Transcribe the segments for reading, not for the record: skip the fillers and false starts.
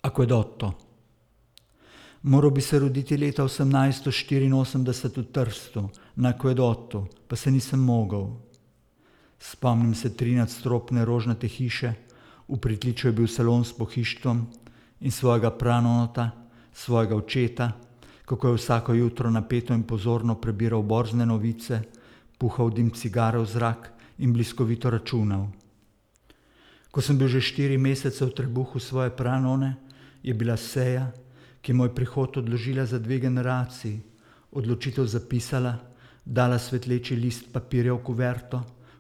Acquedotto. Moral bi se roditi leta 1884 v Trstu, na Acquedottu, pa se nisem mogel. Spomnim se 3-nadstropne rožnate hiše, v pritličju je bil salon s pohištvom in svojega pranota, svojega očeta, kako je vsako jutro napeto in pozorno prebiral borzne novice, puhal dim cigare v zrak in bliskovito računal. Ko sem bil že 4 mesece v trebuhu svoje pranone, je bila seja, ki je moj prihod odložila za 2 generaciji, odločitev zapisala, dala svetleči list papirja v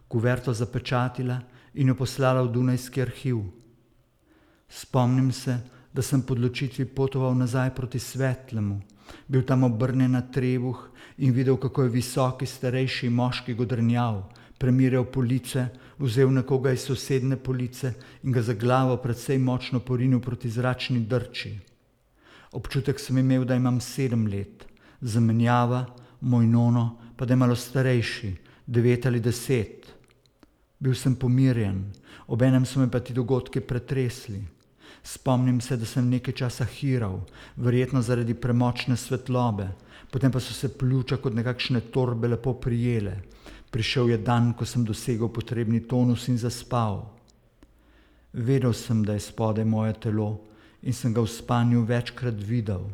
kuverto zapečatila in jo poslala v Dunajski arhiv. Spomnim se, da sem po odločitvi potoval nazaj proti Svetlemu, bil tam obrnjen na trebuh in videl, kako je visoki starejši moški godrnjal, premirjal police, vzel nekoga iz sosedne police in ga za glavo precej močno porinil proti zračni drči. Občutek sem imel, da imam 7 let, zamenjava, moj nono, pa da je malo starejši, 9 ali 10. Bil sem pomirjen, obenem so me pa ti dogodki pretresli. Spomnim se, da sem nekaj časa hiral, verjetno zaradi premočne svetlobe, potem pa so se pljuča kot nekakšne torbe lepo prijele. Prišel je dan, ko sem dosegel potrebni tonus in zaspal. Vedel sem, da je spodaj moje telo in sem ga v spanju večkrat videl.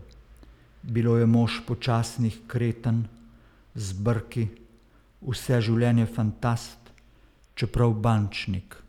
Bilo je mož počasnih kreten, z brki, vse življenje fantast, čeprav bančnik.